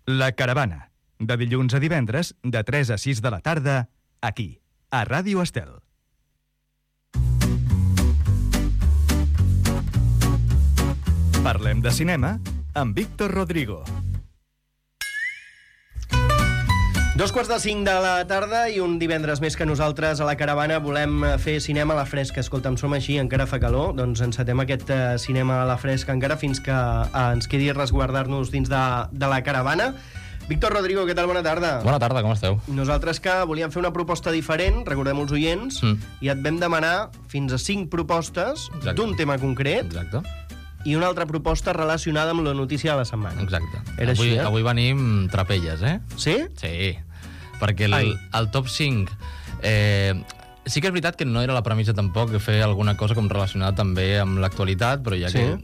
La Caravana, de dilluns a divendres, de 3 a 6 de la tarda, aquí, a Ràdio Estel. Parlem de cinema amb Víctor Rodrigo. 2:45 de la tarda i un divendres més que nosaltres a la Caravana volem fer cinema a la fresca. Escolta'm, som així, encara fa calor, doncs encetem aquest cinema a la fresca encara fins que ens quedi resguardar-nos dins de la Caravana. Víctor Rodrigo, què tal? Bona tarda. Bona tarda, com esteu? Nosaltres que volíem fer una proposta diferent, recordem els oients, i et vam demanar fins a 5 propostes d'un tema concret. Exacte. I una altra proposta relacionada amb la notícia de la setmana. Exacte. Era així, eh? Avui venim trapelles, eh? Sí? Sí, perquè el top 5... sí que és veritat que no era la premissa tampoc de fer alguna cosa com relacionada també amb l'actualitat, però ja que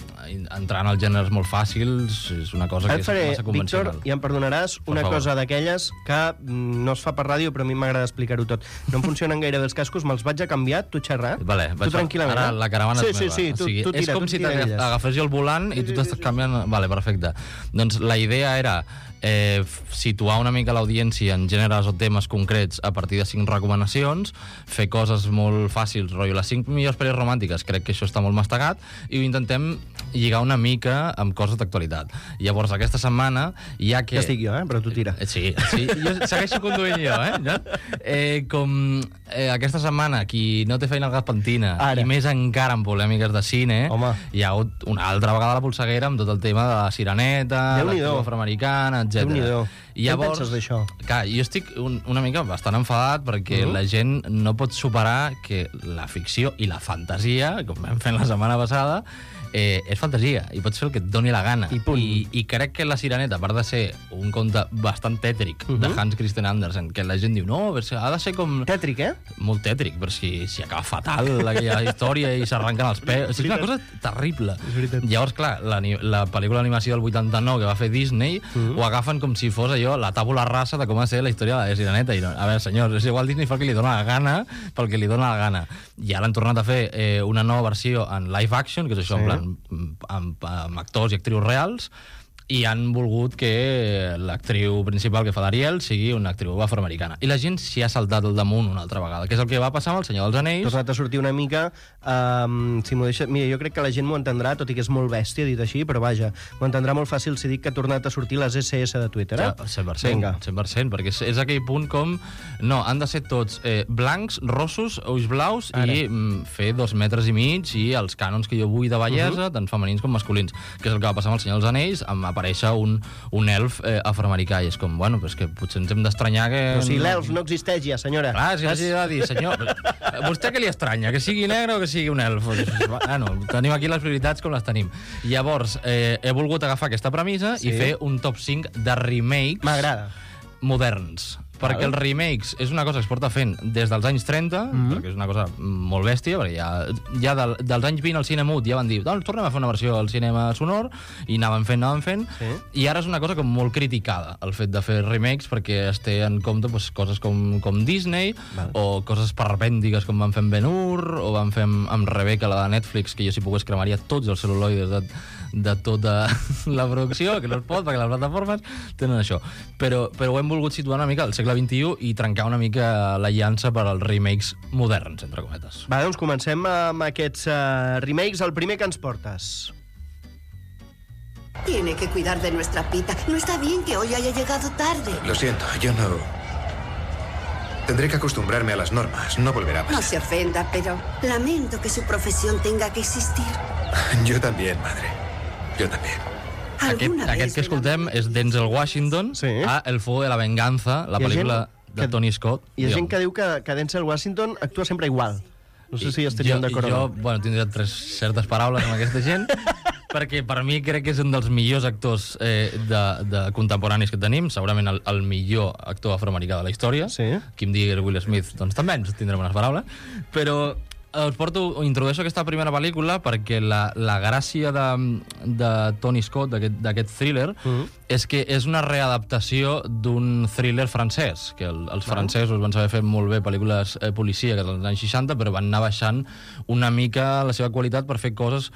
entrant als gèneres molt fàcils és una cosa que és massa convencional. Víctor, i em perdonaràs, una cosa d'aquelles que no es fa per ràdio, però a mi m'agrada explicar-ho tot. No em funcionen gaire bé els cascos, me'ls vaig a canviar, tu xerrar. Vale, tu tranquil·lament. Ara la caravana és meva. Sí, tu tira. És com si t'agafessis el volant i tu t'estàs canviant... Vale, perfecte. Doncs la idea era situar una mica l'audiència en gèneres o temes concrets a partir de 5 recomanacions, fer coses molt fàcils, rotllo les 5 millors pel·lis romàntiques, crec que això està molt mastegat, i ho intentem lligar una mica amb coses d'actualitat. Llavors, aquesta setmana, ja que... Ja estic jo, però tu tira. Sí, jo segueixo conduint jo, com aquesta setmana, qui no té feina al gas pentina, i més encara en polèmiques de cine, hi ha hagut una altra vegada la polseguera amb tot el tema de la Sireneta, l'actriu afroamericana, etc. Què penses d'això? Clar, jo estic una mica bastant enfadat perquè la gent no pot superar que la ficció i la fantasia, com vam fer la setmana passada, és fantasia, i pots fer el que et doni la gana. I crec que La Sireneta, a part de ser un conte bastant tètric de Hans Christian Andersen, que la gent diu, no, ha de ser com... Tètric, Molt tètric, però si acaba fatal aquella història i s'arrenquen els peus... És una cosa terrible. Llavors, clar, la pel·lícula d'animació del 89 que va fer Disney ho agafen com si fos allò, la tàbula rasa de com ha de ser la història de La Sireneta. I no, a veure, senyors, és igual Disney fa el que li dona la gana pel que li dona la gana. I ara han tornat a fer una nova versió en live action, que és això, en plan amb actors i actrius reals, i han volgut que l'actriu principal que fa d'Ariel sigui una actriu afroamericana. I la gent s'hi ha saltat al damunt una altra vegada, que és el que va passar amb El Senyor dels Anells. Tornat a sortir una mica... si m'ho deixa... Mira, jo crec que la gent m'ho entendrà, tot i que és molt bèstia dit així, però vaja, m'ho entendrà molt fàcil si dic que ha tornat a sortir les SS de Twitter, eh? Ja, 100%, perquè és aquell punt com... No, han de ser tots blancs, rossos, ulls blaus i fer 2 metres i mig i els cànons que jo vull de bellesa, tant femenins com masculins, que és el que va passar amb El Senyor dels Anells, amb aparèixer un elf afroamericà, i és com, bueno, però és que potser ens hem d'estranyar que... Però si l'elf no existeix ja, senyora. Clar, és que hagi de dir, senyor, vostè què li estranya? Que sigui negre o que sigui un elf? Bueno, tenim aquí les prioritats com les tenim. Llavors, he volgut agafar aquesta premissa i fer un top 5 de remakes moderns. Perquè els remakes és una cosa que es porta fent des dels anys 30, perquè és una cosa molt bèstia, perquè ja dels anys 20 al cine mut ja van dir, doncs tornem a fer una versió al cinema sonor, i anaven fent, i ara és una cosa com molt criticada, el fet de fer remakes, perquè es té en compte coses com Disney, o coses perpèndiques com van fer amb Ben-Hur, o van fer amb Rebecca, la de Netflix, que jo si pogués cremaria tots els cel·luloides de tota la producció, que no es pot, perquè les plataformes tenen això. Però ho hem volgut situar una mica al segle XXI i trencar una mica la llança per als remakes moderns, entre cometes. Va, doncs comencem amb aquests remakes. El primer que ens portes. Tiene que cuidar de nuestra Pita. No está bien que hoy haya llegado tarde. Lo siento, yo no... Tendré que acostumbrarme a las normas, no volverá a pasar. No se ofenda, pero lamento que su profesión tenga que existir. Yo también, madre. Yo también. Aquest que escoltem és Denzel Washington a El fuego de la venganza, la pel·lícula de Tony Scott. Hi ha gent que diu que Denzel Washington actua sempre igual. No sé si estaríem d'acord o no. Jo tindria certes paraules amb aquesta gent, perquè per mi crec que és un dels millors actors de contemporanis que tenim, segurament el millor actor afroamericà de la història. Qui em digui Will Smith, doncs també ens tindrem unes paraules. Però introdueixo aquesta primera pel·lícula perquè la gràcia de Tony Scott, d'aquest thriller, És que és una readaptació d'un thriller francès, que els francesos van saber fer molt bé pel·lícules policíaques als anys 60, però van anar baixant una mica la seva qualitat per fer coses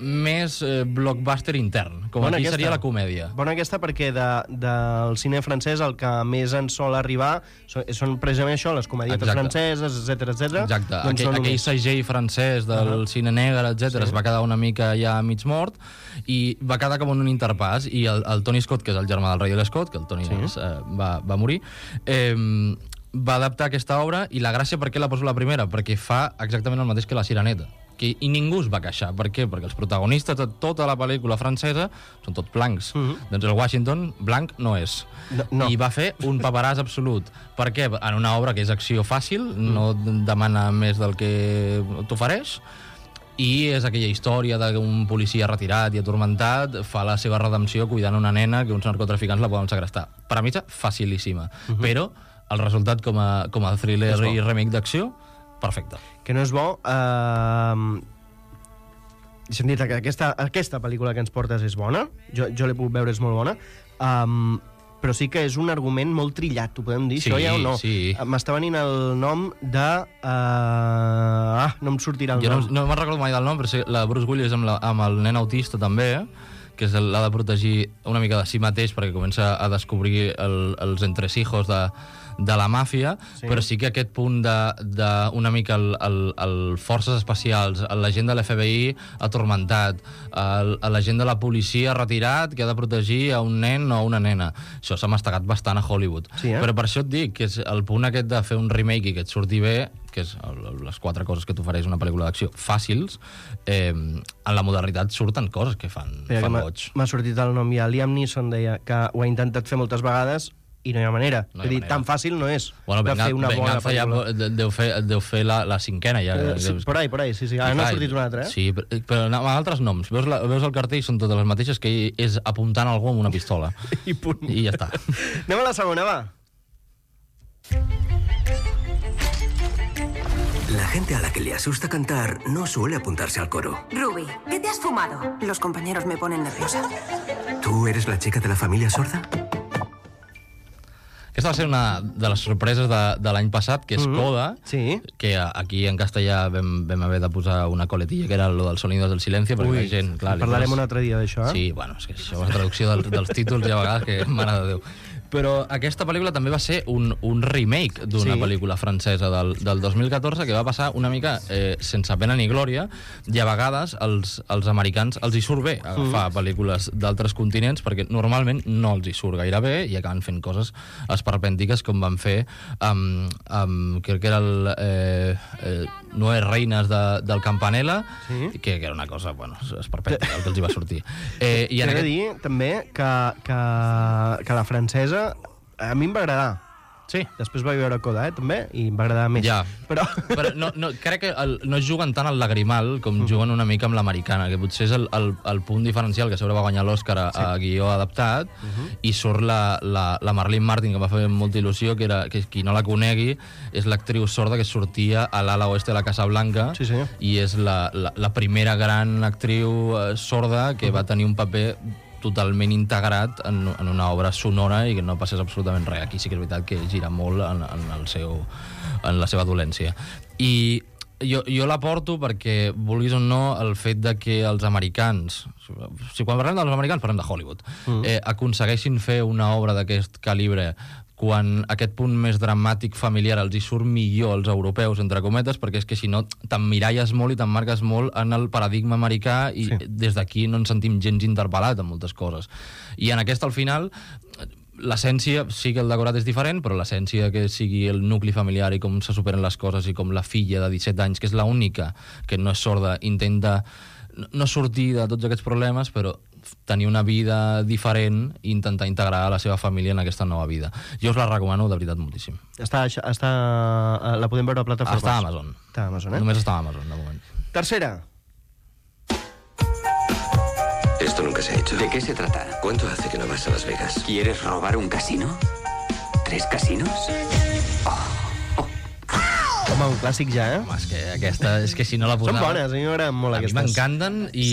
més blockbuster intern, com Bona aquí aquesta. seria la comèdia. Bona aquesta perquè del cine francès el que més ens sol arribar són precisament això, les comedietes franceses, etc. Exacte. Doncs Aquell segell francès del cine negre, etc. es va quedar una mica ja mig mort i va quedar com un interpàs, i el Tony Scott, que és el germà del Ridley Scott, que el Tony va morir, va adaptar aquesta obra, i la gràcia per què la poso la primera? Perquè fa exactament el mateix que La Sireneta. I ningú es va queixar. Per què? Perquè els protagonistes de tota la pel·lícula francesa són tots blancs. Doncs el Washington blanc no és. No. I va fer un paperàs absolut. Per què? En una obra que és acció fàcil, no demana més del que t'ofereix, i és aquella història d'un policia retirat i atormentat fa la seva redempció cuidant una nena que uns narcotraficants la poden segrestar. Premissa facilíssima. Però el resultat com a thriller i remake d'acció, perfecte. Que no és bo... Deixa'm dir que aquesta pel·lícula que ens portes és bona, jo l'he pogut veure, és molt bona, però sí que és un argument molt trillat, ho podem dir, Sí, això ja o no? sí. M'està venint el nom de... no em sortirà el Jo nom. no me'n recordo mai del nom, però sí, la Bruce Willis amb el nen autista també, que l'ha de protegir una mica de si mateix perquè comença a descobrir els entresijos de la màfia, però sí que aquest punt una mica el forces especials, l'agent de l'FBI atormentat, l'agent de la policia retirat que ha de protegir a un nen o a una nena. Això s'ha mastegat bastant a Hollywood. Sí, Però per això et dic que és el punt aquest de fer un remake i que et surti bé, que és les 4 coses que t'ofereix una pel·lícula d'acció fàcils, en la modernitat surten coses que fan boig. M'ha sortit el nom ja. Liam Neeson deia que ho ha intentat fer moltes vegades i no hi ha manera. No hi ha És dir, manera. tan fàcil no és Bueno, de fer una bona Venganza ja pel·lícula. deu fer la cinquena ja. Sí, por ahí, sí. Ara n'ha sortit una altra, Sí, però amb altres noms. Veus el cartell, són totes les mateixes, que és apuntant algú amb una pistola. I punt. I ja està. Anem a la segona, va. La gente a la que le asusta cantar no suele apuntarse al coro. Ruby, ¿qué te has fumado? Los compañeros me ponen nerviosa. ¿Tú eres la chica de la familia sorda? Aquesta va ser una de les sorpreses de l'any passat, que és Coda, Sí. que aquí en castellà vam haver de posar una coletilla, que era lo del Sonidos del Silencio, perquè la gent... Clar, Parlarem un altre dia d'això, eh? Sí, bueno, és que això és la traducció dels títols i a vegades que, mare de Déu. Però aquesta pel·lícula també va ser un remake d'una pel·lícula francesa del 2014 que va passar una mica sense pena ni glòria, i a vegades els americans els hi surt bé agafar pel·lícules d'altres continents perquè normalment no els hi surt gaire bé i acaben fent coses esperpèntiques com van fer crec que era el Noé Reines del Campanella, que era una cosa, bueno, esperpèntica el que els hi va sortir. I T'he de dir, també, que la francesa a mi em va agradar. Sí. Després vaig veure Coda, també, i em va agradar més. Ja. Però no, crec que no juguen tant al lagrimal com juguen una mica amb l'americana, que potser és el punt diferencial, que sobre va guanyar l'Oscar a guió adaptat, i surt la Marlene Martin, que va fer molta il·lusió, que qui no la conegui és l'actriu sorda que sortia a l'ala oeste de la Casa Blanca, i és la primera gran actriu sorda que va tenir un paper totalment integrat en una obra sonora i que no passés absolutament res. Aquí sí que és veritat que gira molt en la seva dolència. I jo la porto perquè, vulguis o no, el fet de que els americans, si quan parlem dels americans parlem de Hollywood, aconsegueixin fer una obra d'aquest calibre quan aquest punt més dramàtic familiar els hi surt millor als europeus, entre cometes, perquè és que si no t'emmiralles molt i t'emmarques molt en el paradigma americà i des d'aquí no ens sentim gens interpel·lat en moltes coses. I en aquesta, al final, l'essència, sí que el decorat és diferent, però l'essència que sigui el nucli familiar i com se superen les coses i com la filla de 17 anys, que és l'única que no és sorda, intenta no sortir de tots aquests problemes, però tenir una vida diferent i intentar integrar la seva família en aquesta nova vida. Jo us la recomano de veritat moltíssim. La podem veure a plataformes? Està a Amazon. Està a Amazon, Només està a Amazon, de moment. Tercera. Esto nunca se ha hecho. ¿De qué se trata? ¿Cuánto hace que no vas a Las Vegas? ¿Quieres robar un casino? ¿3 casinos? Home, un clàssic ja, eh? Home, és que aquesta, és que si no la posava... Són bones, a mi m'agraden molt a aquestes. mi m'encanten i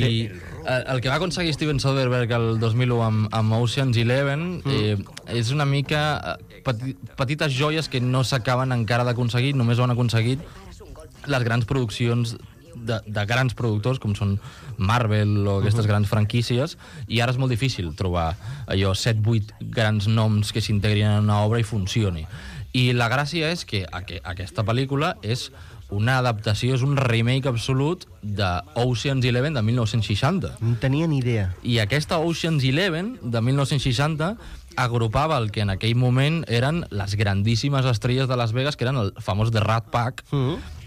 El que va aconseguir Steven Soderbergh el 2001 amb Ocean's 11 és una mica petites joies que no s'acaben encara d'aconseguir, només ho han aconseguit les grans produccions de grans productors, com són Marvel o aquestes grans franquícies, i ara és molt difícil trobar allò 7-8 grans noms que s'integrin en una obra i funcioni. I la gràcia és que aquesta pel·lícula és una adaptació, és un remake absolut de Ocean's 11 de 1960. No tenia ni idea. I aquesta Ocean's 11 de 1960 agrupava el que en aquell moment eren les grandíssimes estrelles de Las Vegas, que eren el famós The Rat Pack,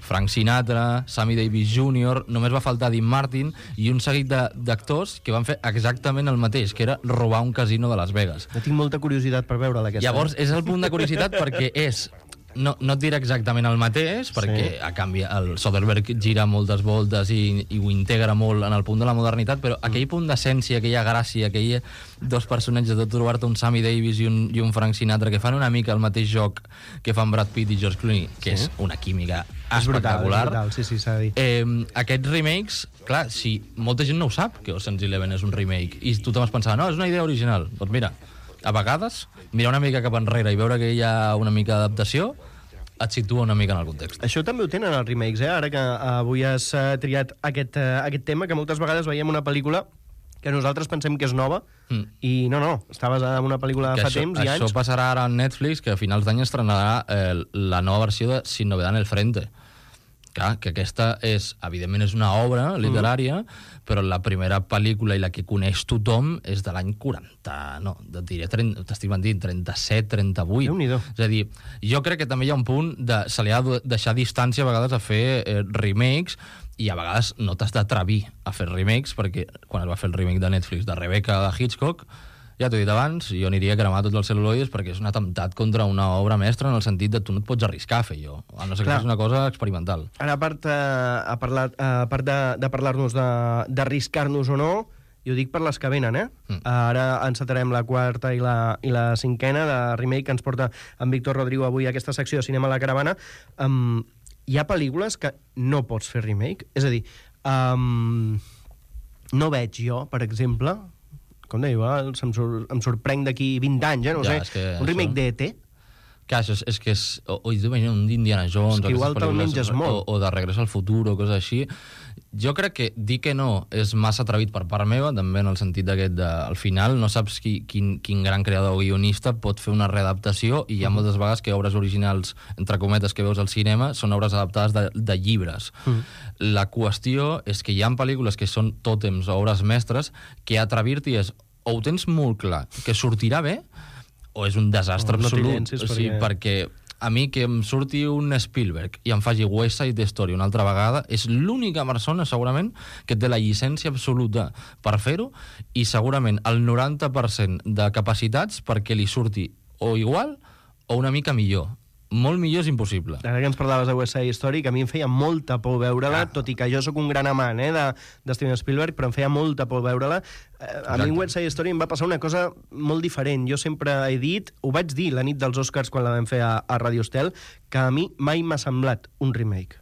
Frank Sinatra, Sammy Davis Jr., només va faltar Dean Martin i un seguit d'actors que van fer exactament el mateix, que era robar un casino de Las Vegas. Jo tinc molta curiositat per veure-la, aquesta. Llavors, és el punt de curiositat perquè és... No et diré exactament el mateix, perquè a canvi el Soderbergh gira moltes voltes i ho integra molt en el punt de la modernitat, però aquell punt d'essència, aquella gràcia, aquell dos personatges de trobar-te un Sammy Davis i un Frank Sinatra que fan una mica el mateix joc que fan Brad Pitt i George Clooney, que és una química espectacular. És brutal, sí, s'ha de dir. Aquests remakes, clar, si molta gent no ho sap, que Ocean's 11 és un remake, i tothom es pensava, no, és una idea original. Doncs mira, a vegades, mirar una mica cap enrere i veure que hi ha una mica d'adaptació, et situa una mica en el context. Això també ho tenen els remakes, ara que avui has triat aquest tema, que moltes vegades veiem una pel·lícula que nosaltres pensem que és nova, i no, està basada en una pel·lícula de fa temps i anys. Això passarà ara a Netflix, que a finals d'any estrenarà la nova versió de Sin novedad en el frente. Clar, que aquesta evidentment és una obra literària, però la primera pel·lícula i la que coneix tothom és de l'any 40, no, t'estic mentint, 37, 38. Déu-n'hi-do. És a dir, jo crec que també hi ha un punt se li ha de deixar distància a vegades a fer remakes, i a vegades no t'has d'atrevir a fer remakes, perquè quan es va fer el remake de Netflix de Rebecca de Hitchcock, ja t'ho he dit abans, jo aniria a cremar tots els cel·luloides perquè és un atemptat contra una obra mestra en el sentit de tu no et pots arriscar a fer allò, a no ser que és una cosa experimental. Ara, a part de parlar-nos d'arriscar-nos o no, i ho dic per les que venen, Ara encetarem la quarta i la cinquena de remake que ens porta en Víctor Rodrigo avui a aquesta secció de Cinema a la Caravana. Hi ha pel·lícules que no pots fer remake? És a dir, no veig jo, per exemple... Com deia, em sorprenc d'aquí 20 anys, no sé, un remake d'E.T. Clar, és que és... O un d'Indiana Jones... És que igual te'l menges molt. O de Regreso al Futur, o coses així. Jo crec que dir que no és massa atrevit per part meva, també en el sentit d'aquest al final no saps quin gran creador o guionista pot fer una readaptació, i hi ha moltes vegades que obres originals, entre cometes, que veus al cinema són obres adaptades de llibres. La qüestió és que hi ha pel·lícules que són tòtems o obres mestres que atrevir-t'hi és o ho tens molt clar que sortirà bé o és un desastre absolut. O sigui, perquè a mi que em surti un Spielberg i em faci West Side Story una altra vegada és l'única persona, segurament, que té la llicència absoluta per fer-ho, i segurament el 90% de capacitats perquè li surti o igual o una mica millor. Molt millor és impossible. Ara que ens parlaves de West Side Story, que a mi em feia molta por veure-la, tot i que jo sóc un gran amant de Steven Spielberg, però em feia molta por veure-la. A mi en West Side Story em va passar una cosa molt diferent. Jo sempre he dit, ho vaig dir la nit dels Oscars quan la vam fer a Radio Estel, que a mi mai m'ha semblat un remake.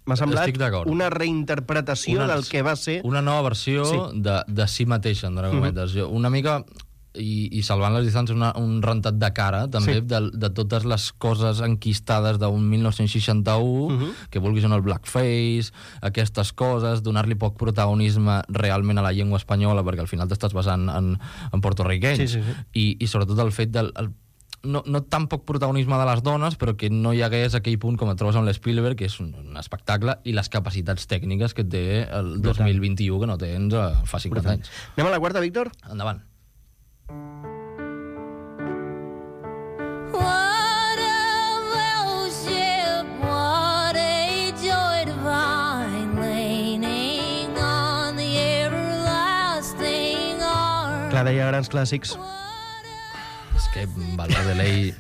M'ha semblat una reinterpretació del que va ser... Una nova versió de si mateixa, entre cometes. Una mica... I salvant les distàncies, un rentat de cara també de totes les coses enquistades d'un 1961 que vulguis en el blackface, aquestes coses, donar-li poc protagonisme realment a la llengua espanyola, perquè al final t'estàs basant en portorriquenys, i sobretot el fet del no tan poc protagonisme de les dones, però que no hi hagués aquell punt com et trobes amb l'Spielberg, que és un espectacle, i les capacitats tècniques que té el 2021 que no tens fa 50 anys. Anem a la quarta, Víctor? Endavant. Clar, deia grans clàssics. És que Valverde Ley...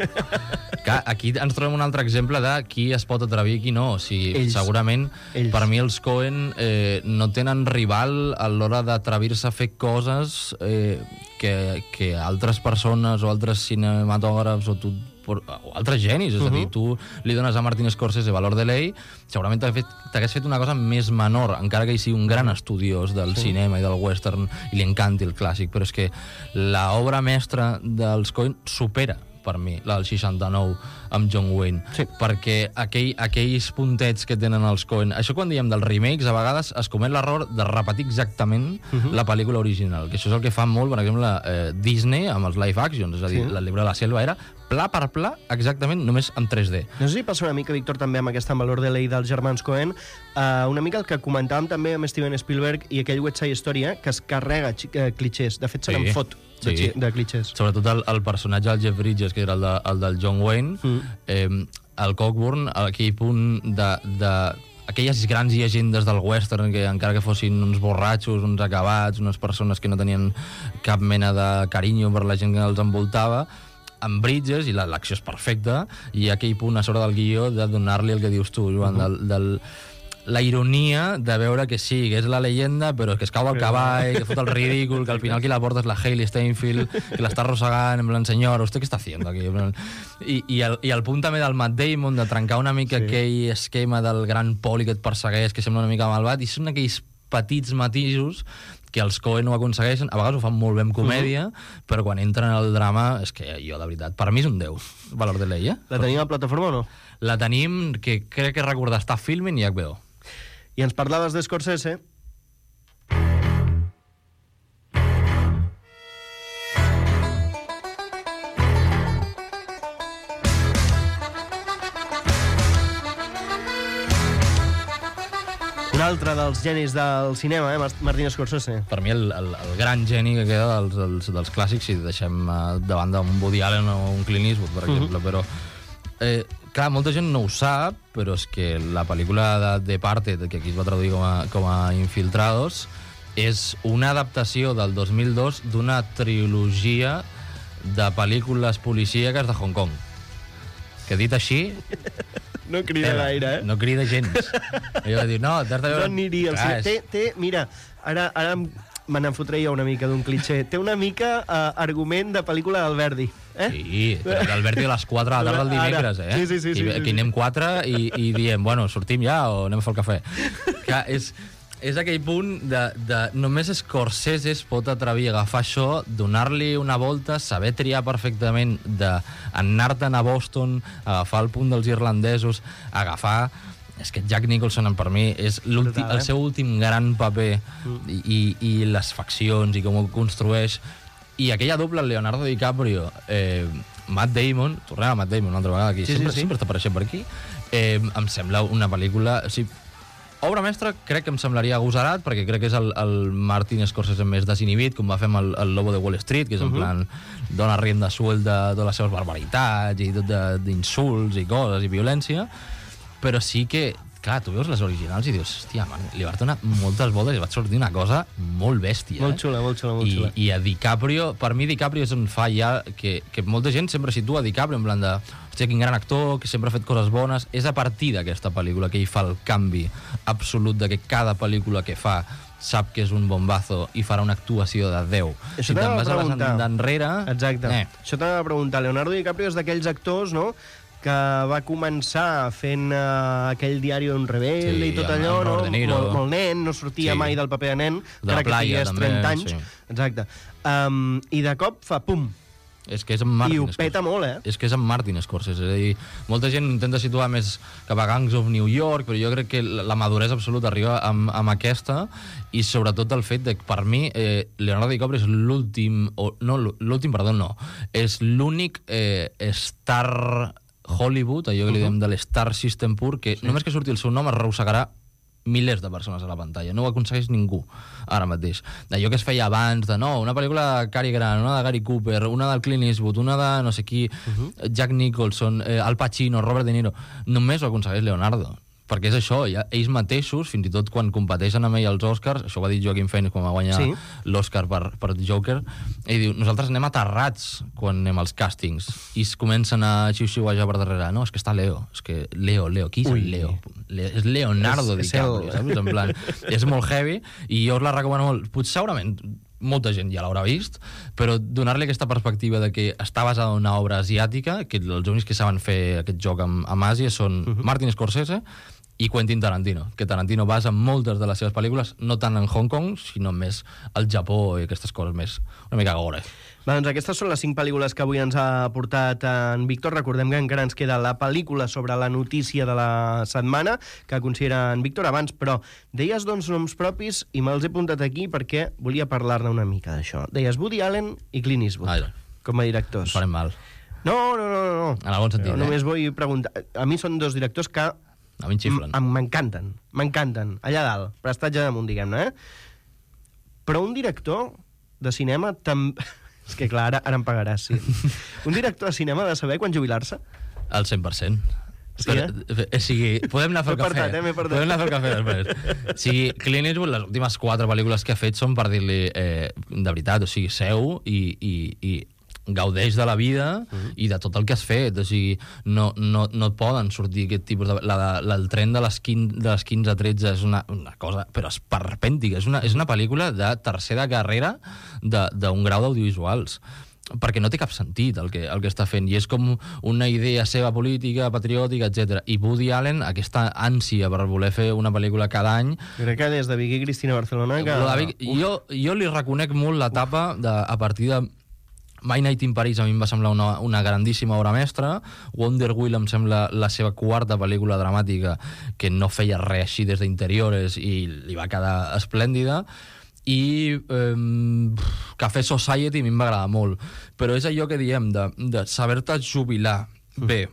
Aquí ens trobem un altre exemple de qui es pot atrevir i qui no. O sigui, segurament, per mi els Coen no tenen rival a l'hora d'atrevir-se a fer coses que altres persones o altres cinematògrafs o tu o altres genis, és a dir, tu li dones a Martin Scorsese Valor de Ley, segurament t'hagués fet una cosa més menor, encara que ell sigui un gran estudiós del cinema i del western i li encanti el clàssic, però és que l'obra mestra dels Coen supera per mi, la del 69 amb John Wayne, perquè aquells puntets que tenen els Coen, això quan diem dels remakes, a vegades es comet l'error de repetir exactament la pel·lícula original, que això és el que fa molt, per exemple, Disney amb els live actions, és a dir, el Llibre de la Selva era pla per pla, exactament, només en 3D. No sé si passa una mica, Víctor, també amb aquesta Valor de Ley dels germans Coen, una mica el que comentàvem també amb Steven Spielberg i aquell West Side Story, que es carrega clichés, de fet se n'en fot de clichés. Sobretot el personatge del Jeff Bridges, que era el del John Wayne, el Cockburn, aquell punt de aquelles grans llegendes del western, que encara que fossin uns borratxos, uns acabats, unes persones que no tenien cap mena de carinyo per la gent que els envoltava, amb Bridges, i l'acció és perfecta, i aquell punt a sobre del guió de donar-li el que dius tu, Joan, la ironia de veure que sí, que és la leyenda, però que es cau del cavall, que fot el ridícul, que al final qui la porta és la Hailey Steinfeld, que l'està arrossegant, en plan, senyora, ¿usted qué está haciendo aquí? I el punt també del Matt Damon, de trencar una mica aquell esquema del gran poli que et persegueix, que sembla una mica malvat, i són aquells petits matisos que els Coen ho aconsegueixen, a vegades ho fan molt bé en comèdia, però quan entren al drama, és que jo, de veritat, per mi és un 10, Valor de Ley, La tenim a plataforma o no? La tenim, que crec que recordar, està Filmin i HBO. I ens parlaves d'Scorsese. Un altre dels genis del cinema, Martin Scorsese. Per mi el gran geni que queda dels clàssics, si deixem de banda un Woody Allen o un Clint Eastwood, per exemple, però... clar, molta gent no ho sap, però és que la pel·lícula de Departed, que aquí es va traduir com a Infiltrados, és una adaptació del 2002 d'una trilogia de pel·lícules policíaques de Hong Kong. Que dit així... No crida gaire, No crida gens. Jo vaig dir, no, t'has de veure... No aniria al cine. Mira, ara me n'enfotré jo una mica d'un cliché. Té una mica argument de pel·lícula d'Alberti. Sí, però l'Alberti a les 4 de la tarda el dimecres, Sí. Aquí anem 4 i diem, bueno, sortim ja o anem a fer el cafè. Clar, és aquell punt de només Scorsese es pot atrevir a agafar això, donar-li una volta, saber triar perfectament d'anar-te'n a Boston, agafar el punt dels irlandesos, agafar... És que Jack Nicholson, per mi, és el seu últim gran paper i les faccions i com ho construeix. I aquella doble Leonardo DiCaprio, Matt Damon, tornem a Matt Damon una altra vegada aquí, sempre està apareixent per aquí, em sembla una pel·lícula... O sigui, obra mestra crec que em semblaria agosarat, perquè crec que és el Martin Scorsese més desinhibit, com va fer amb el Lobo de Wall Street, que és en plan, dona rienda suelta de totes les seves barbaritats i tot d'insults i coses i violència, però sí que, clar, tu veus les originals i dius, hòstia, man, li va donar moltes voltes i va sortir una cosa molt bèstia. Molt xula, molt xula. I a DiCaprio, per mi DiCaprio és on fa ja que molta gent sempre situa DiCaprio en plan de, hòstia, quin gran actor, que sempre ha fet coses bones. És a partir d'aquesta pel·lícula que ell fa el canvi absolut de que cada pel·lícula que fa sap que és un bombazo i farà una actuació de 10. Això t'ha de preguntar. D'enrere... Exacte. Això t'ha de preguntar. Leonardo DiCaprio és d'aquells actors, no?, que va començar fent aquell diari d'un rebel i tot allò, no? Molt nen, no sortia mai del paper de nen, encara que tingués 30 anys. Exacte. I de cop fa pum. És que és en Martin I ho peta molt, És que és en Martin Scorsese. És a dir, molta gent intenta situar més cap a Gangs of New York, però jo crec que la maduresa absoluta arriba amb aquesta, i sobretot el fet de que, per mi, Leonardo DiCaprio és l'últim... És l'únic star Hollywood, allò que li diem de l'Star System pur, que només que surti el seu nom arrossegarà milers de persones a la pantalla. No ho aconsegueix ningú ara mateix. Allò que es feia abans de, no, una pel·lícula de Cary Grant, una de Gary Cooper, una del Clint Eastwood, una de no sé qui, Jack Nicholson, Al Pacino, Robert De Niro, només ho aconsegueix Leonardo. Perquè és això, ja, ells mateixos, fins i tot quan competeixen amb ell als Oscars, això ho va dir Joaquin Phoenix quan va guanyar l'Oscar per Joker, ell diu, nosaltres anem aterrats quan anem als càstings, i es comencen a xiu-xiuejar per darrere, no, és que està Leo, és que Leo, qui és el Leo? És Leonardo DiCaprio, saps? En plan, és molt heavy, i jo us la recomano molt. Potser segurament molta gent ja l'haurà vist, però donar-li aquesta perspectiva de que està basada en una obra asiàtica, que els únics que saben fer aquest joc amb Àsia són Martin Scorsese i Quentin Tarantino, que Tarantino basa moltes de les seves pel·lícules no tant en Hong Kong, sinó més al Japó i aquestes coses més una mica gore. Doncs aquestes són les 5 pel·lícules que avui ens ha portat en Víctor. Recordem que encara ens queda la pel·lícula sobre la notícia de la setmana, que considera en Víctor abans, però deies doncs noms propis i me'ls he apuntat aquí perquè volia parlar-ne una mica d'això. Deies Woody Allen i Clint Eastwood, com a directors. Farem mal. No. En el bon sentit, Només vull preguntar. A mi són 2 directors que a mi xiflen. M'encanten. Allà dalt, prestatge damunt, diguem-ne, Però un director de cinema també... És que clar, ara em pagaràs, sí. Un director de cinema ha de saber quan jubilar-se? Al 100%. Sí, O sigui, podem anar a fer el cafè. Podem anar a fer el cafè després. O sigui, Clint Eastwood, les últimes 4 pel·lícules que ha fet són per dir-li, de veritat, o sigui, seu i gaudeix de la vida i de tot el que has fet. O sigui, no et poden sortir aquest tipus de... El tren de les 15 a 13 és una cosa, però esperpèntica. És una pel·lícula de tercera carrera d'un grau d'audiovisuals, perquè no té cap sentit el que està fent, i és com una idea seva política, patriòtica, etc. I Woody Allen, aquesta ànsia per voler fer una pel·lícula cada any... Crec que des de Vicky Cristina Barcelona... Jo li reconec molt l'etapa a partir de My Night in Paris. A mi em va semblar una grandíssima obra mestra. Wonder Wheel em sembla la seva 4ª pel·lícula dramàtica, que no feia res així des d'interiores i li va quedar esplèndida. I Café Society a mi em va agradar molt, però és allò que diem de saber-te jubilar bé,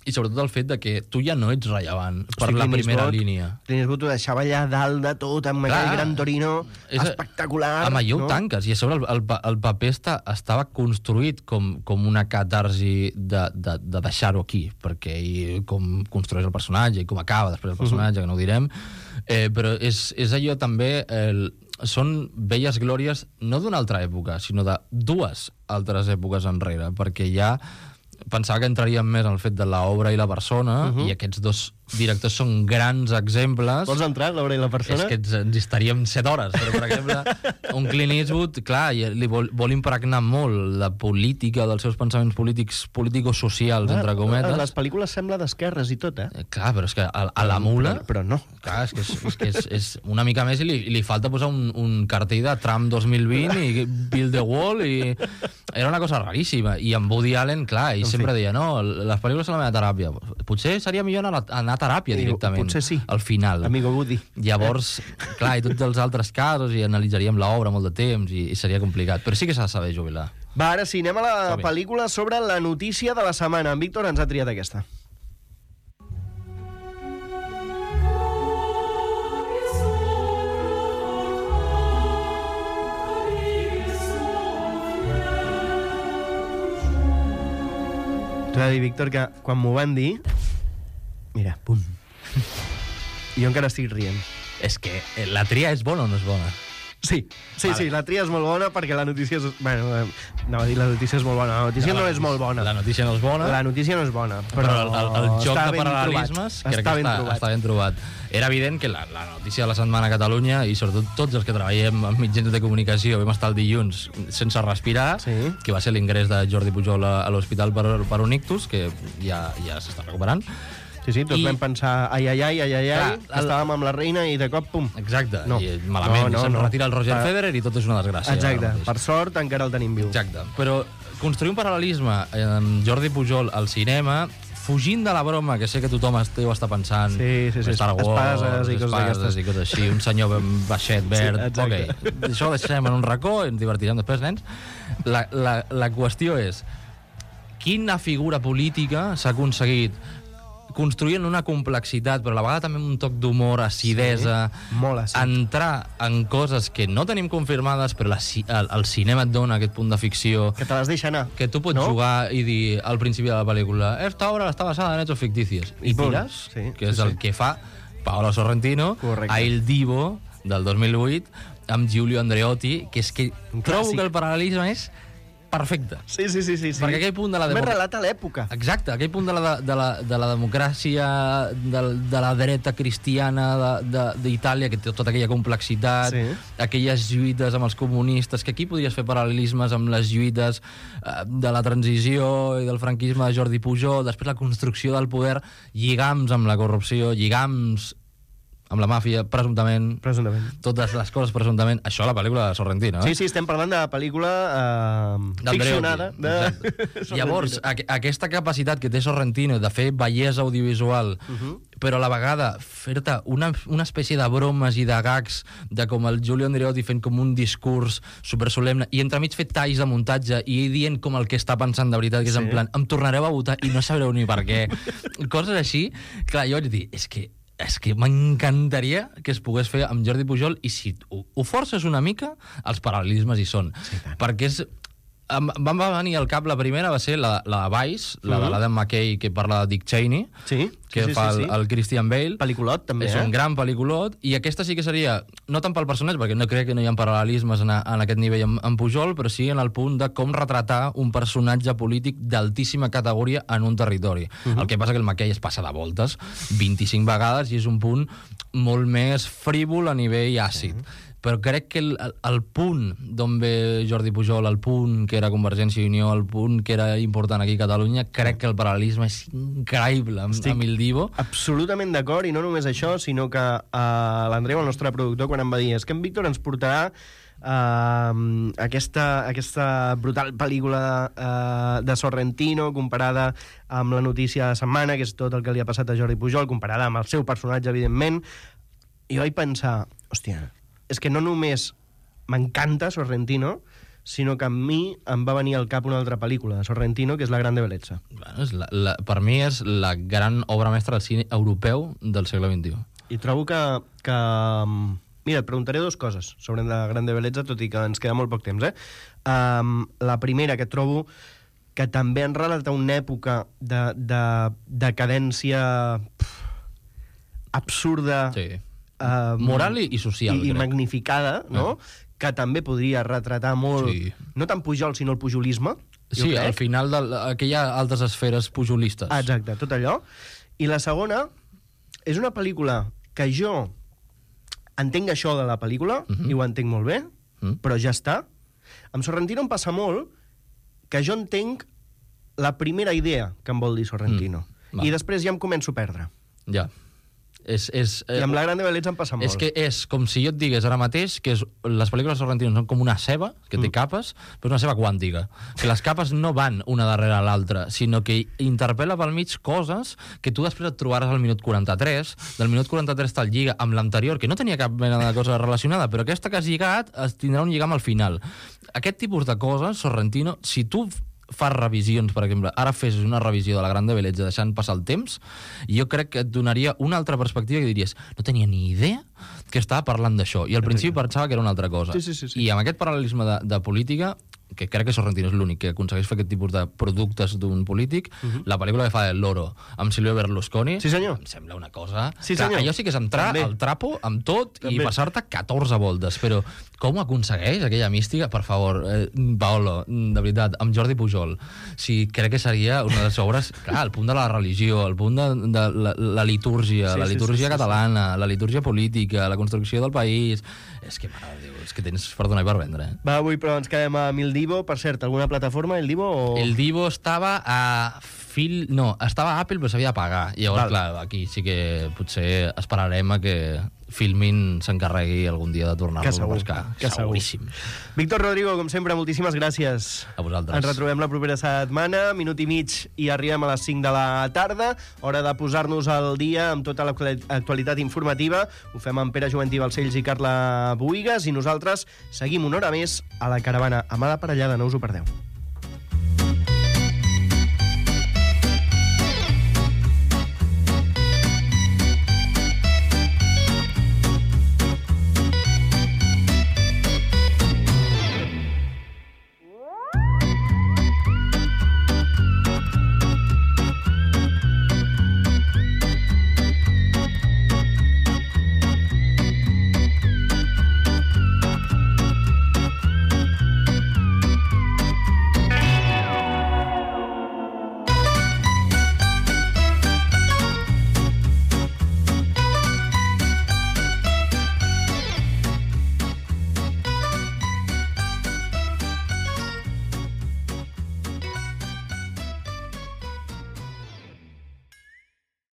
i sobretot el fet de que tu ja no ets rellevant per la primera línia. Clint Eastwood ho deixava allà dalt de tot, amb aquell Gran Torino espectacular. Amb allò ho tanques, i a sobre el paper estava construït com una catarsi de deixar-ho aquí, perquè com construeix el personatge i com acaba després el personatge, que no ho direm, però és allò també... Són velles glòries no d'una altra època, sinó de 2 altres èpoques enrere, perquè ja pensava que entraríem més en el fet de l'obra i la persona, i aquests 2 directors són grans exemples. Vols entrar, l'obra i la persona? És que ens hi estaríem 7 hores, però, per exemple, un Clint Eastwood, clar, li vol impregnar molt la política dels seus pensaments político-socials, entre cometes. Les pel·lícules sembla d'esquerres i tot, Clar, però és que a la mula... Però no. Clar, és que és una mica més, i li falta posar un cartell de Trump 2020 i Build the Wall, i era una cosa raríssima. I amb Woody Allen, clar, ell sempre deia, no, les pel·lícules són la meva teràpia. Potser seria millor anar a teràpia directament. Potser sí. Al final. Amigo Woody. Llavors, clar, i tots els altres casos, i analitzaríem l'obra molt de temps, i seria complicat. Però sí que s'ha de saber jubilar. Va, ara sí, anem a la pel·lícula sobre la notícia de la setmana. En Víctor ens ha triat aquesta. T'ho he de dir, Víctor, que quan m'ho van dir... Mira, pum. Jo encara estic rient. És que la tria és bona o no és bona? Sí, la tria és molt bona perquè la notícia és... Bueno, anava a dir la notícia és molt bona. La notícia no és molt bona. La notícia no és bona. La notícia no és bona. Però el joc de paral·lelismes crec que està ben trobat. Era evident que la notícia de la setmana a Catalunya, i sobretot tots els que treballem en mitjans de comunicació, vam estar el dilluns sense respirar, que va ser l'ingrés de Jordi Pujol a l'hospital per un ictus, que ja s'està recuperant. Sí, tots vam pensar, ai, estàvem amb la reina i de cop, pum. Exacte, i malament, se'n retira el Roger Federer i tot és una desgràcia. Exacte, per sort encara el tenim viu. Exacte, però construir un paral·lelisme amb Jordi Pujol al cinema, fugint de la broma, que sé que tothom deu estar pensant, Star Wars, espases i coses així, un senyor baixet, verd, això ho deixem en un racó i ens divertirem després, nens. La qüestió és, quina figura política s'ha aconseguit construint una complexitat, però a la vegada també un toc d'humor, acidesa, entrar en coses que no tenim confirmades, però el cinema et dona aquest punt de ficció. Que te les deixa anar. Que tu pots jugar i dir al principi de la pel·lícula esta obra està basada en hechos ficticios. I tires, que és el que fa Paolo Sorrentino a El Divo, del 2008, amb Giulio Andreotti, que és que trobo que el paral·lelisme és perfecte. Sí. Perquè aquell punt de la Més relata l'època. Exacte, aquell punt de la democràcia, de la dreta cristiana d'Itàlia, que té tota aquella complexitat, aquelles lluites amb els comunistes, que aquí podries fer paral·lelismes amb les lluites de la transició i del franquisme de Jordi Pujol, després la construcció del poder, lligams amb la corrupció, lligams amb la màfia, presumptament. Totes les coses, presumptament. Això a la pel·lícula de Sorrentino, Sí, estem parlant de la pel·lícula ficcionada. Llavors, aquesta capacitat que té Sorrentino de fer bellesa audiovisual, però a la vegada fer-te una espècie de bromes i de gags de com el Giulio Andreotti fent com un discurs supersolemne i entremig fer talls de muntatge i ell dient com el que està pensant de veritat, que és en plan, em tornareu a votar i no sabreu ni per què. Coses així. Clar, jo vaig dir, és que m'encantaria que es pogués fer amb Jordi Pujol, i si ho forces una mica, els paral·lelismes hi són. Perquè és... Em va venir al cap, la primera va ser la de Vice, la de l'Adam McKay, que parla de Dick Cheney, que fa el Christian Bale. Pel·liculot, també, És un gran pel·liculot, i aquesta sí que seria, no tant pel personatge, perquè no crec que no hi ha paral·lelismes en aquest nivell amb Pujol, però sí en el punt de com retratar un personatge polític d'altíssima categoria en un territori. El que passa que el McKay es passa de voltes 25 vegades i és un punt molt més frívol a nivell àcid. Però crec que el punt d'on ve Jordi Pujol, el punt que era Convergència i Unió, el punt que era important aquí a Catalunya, crec que el paral·lelisme és increïble amb il Divo. Absolutament d'acord, i no només això, sinó que l'Andreu, el nostre productor, quan em va dir és que en Víctor ens portarà aquesta brutal pel·lícula de Sorrentino comparada amb la notícia de setmana, que és tot el que li ha passat a Jordi Pujol, comparada amb el seu personatge, evidentment, i vaig pensar, hòstia, és que no només m'encanta Sorrentino, sinó que a mi em va venir al cap una altra pel·lícula de Sorrentino, que és La Grande Bellezza. Bueno, per mi és la gran obra mestra del cine europeu del segle XXI. I trobo que... Mira, et preguntaré dues coses sobre La Grande Bellezza, tot i que ens queda molt poc temps, La primera, que trobo que també en relata una època de decadència absurda... Sí. Moral i social, i magnificada, no? Que també podria retratar molt, no tant Pujol, sinó el pujolisme. Sí, al final d'aquelles altres esferes pujolistes. Exacte, tot allò. I la segona és una pel·lícula que jo entenc això de la pel·lícula, i ho entenc molt bé, però ja està. Amb Sorrentino em passa molt que jo entenc la primera idea que em vol dir Sorrentino. I després ja em començo a perdre. Ja. I amb La Grande Bellezza em passa molt. És que és com si jo et digués ara mateix que les pel·lícules de Sorrentino són com una ceba, que té capes, però una ceba quàntica. Que les capes no van una darrere l'altra, sinó que interpel·la pel mig coses que tu després et trobaràs al minut 43, del minut 43 te'l lliga amb l'anterior, que no tenia cap mena de cosa relacionada, però aquesta que has lligat es tindrà un lligam al final. Aquest tipus de coses, Sorrentino, si tu fas revisions, per exemple, ara fes una revisió de La Grande Bellezza deixant passar el temps, jo crec que et donaria una altra perspectiva que diries, no tenia ni idea que estava parlant d'això, i al principi pensava que era una altra cosa. I amb aquest paral·lelisme de política, que crec que Sorrentino és l'únic que aconsegueix fer aquest tipus de productes d'un polític, la pel·lícula que fa El Loro amb Silvio Berlusconi, em sembla una cosa... Allò sí que és entrar al trapo amb tot i passar-te 14 voltes, però com aconsegueix aquella mística? Per favor, Paolo, de veritat, amb Jordi Pujol, crec que seria una de les obres, clar, el punt de la religió, el punt de la litúrgia, la litúrgia catalana, la litúrgia política, la construcció del país... És que, mare de Déu, és que tens per donar i per vendre. Va, avui però ens quedem amb el Divo. Per cert, alguna plataforma, el Divo? O... El Divo estava a estava a Apple, però s'havia de pagar. Llavors, clar, aquí sí que potser esperarem a que Filmin s'encarregui algun dia de tornar-lo a pescar. Seguríssim. Víctor Rodrigo, com sempre, moltíssimes gràcies. A vosaltres. Ens retrobem la propera setmana, minut i mig, i arribem a les 5 de la tarda. Hora de posar-nos al dia amb tota l'actualitat informativa. Ho fem amb Pere Juventí Balcells i Carla Boïgues, i nosaltres seguim una hora més a la caravana. Amada Parellada, no us ho perdeu.